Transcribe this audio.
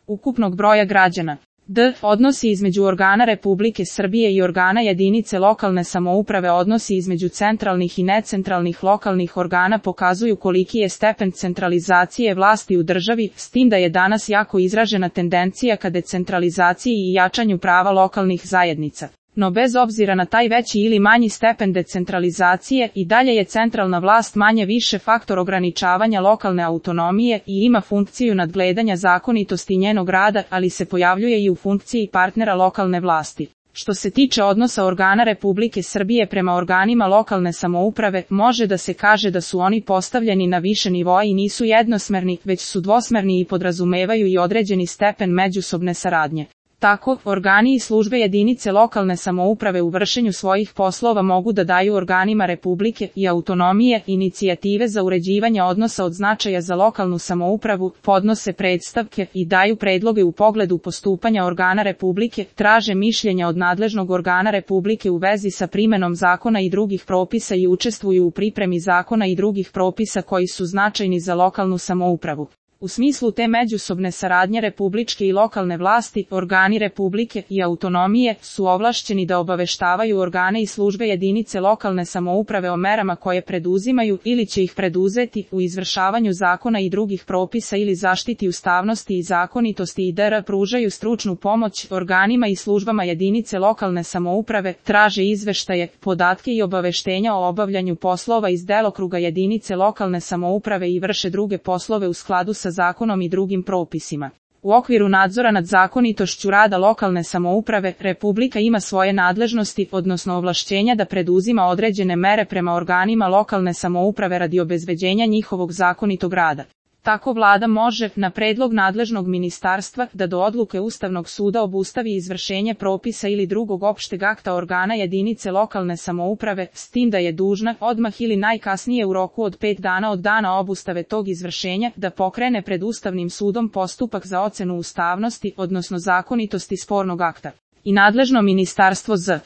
ukupnog broja građana. D. Odnosi između organa Republike Srbije i organa jedinice lokalne samouprave. Odnosi između centralnih i necentralnih lokalnih organa pokazuju koliki je stepen centralizacije vlasti u državi, s tim da je danas jako izražena tendencija ka decentralizaciji i jačanju prava lokalnih zajednica. No bez obzira na taj veći ili manji stepen decentralizacije, i dalje je centralna vlast manje više faktor ograničavanja lokalne autonomije i ima funkciju nadgledanja zakonitosti njenog rada, ali se pojavljuje i u funkciji partnera lokalne vlasti. Što se tiče odnosa organa Republike Srbije prema organima lokalne samouprave, može da se kaže da su oni postavljeni na više nivoa i nisu jednosmerni, već su dvosmerni i podrazumevaju i određeni stepen međusobne saradnje. Tako, organi i službe jedinice lokalne samouprave u vršenju svojih poslova mogu da daju organima Republike i autonomije inicijative za uređivanje odnosa od značaja za lokalnu samoupravu, podnose predstavke i daju predloge u pogledu postupanja organa Republike, traže mišljenja od nadležnog organa Republike u vezi sa primenom zakona i drugih propisa i učestvuju u pripremi zakona i drugih propisa koji su značajni za lokalnu samoupravu. U smislu te međusobne saradnje republičke i lokalne vlasti, organi Republike i autonomije su ovlašćeni da obaveštavaju organe i službe jedinice lokalne samouprave o merama koje preduzimaju ili će ih preduzeti u izvršavanju zakona i drugih propisa ili zaštiti ustavnosti i zakonitosti i dr. pružaju stručnu pomoć organima i službama jedinice lokalne samouprave, traže izveštaje, podatke i obaveštenja o obavljanju poslova iz delokruga jedinice lokalne samouprave i vrše druge poslove u skladu sa zakonom i drugim propisima. U okviru nadzora nad zakonitošću rada lokalne samouprave, Republika ima svoje nadležnosti, odnosno ovlašćenja da preduzima određene mere prema organima lokalne samouprave radi obezbeđenja njihovog zakonitog rada. Tako vlada može, na predlog nadležnog ministarstva, da do odluke Ustavnog suda obustavi izvršenje propisa ili drugog opšteg akta organa jedinice lokalne samouprave, s tim da je dužna, odmah ili najkasnije u roku od 5 dana od dana obustave tog izvršenja, da pokrene pred Ustavnim sudom postupak za ocenu ustavnosti, odnosno zakonitosti spornog akta. I nadležno ministarstvo z.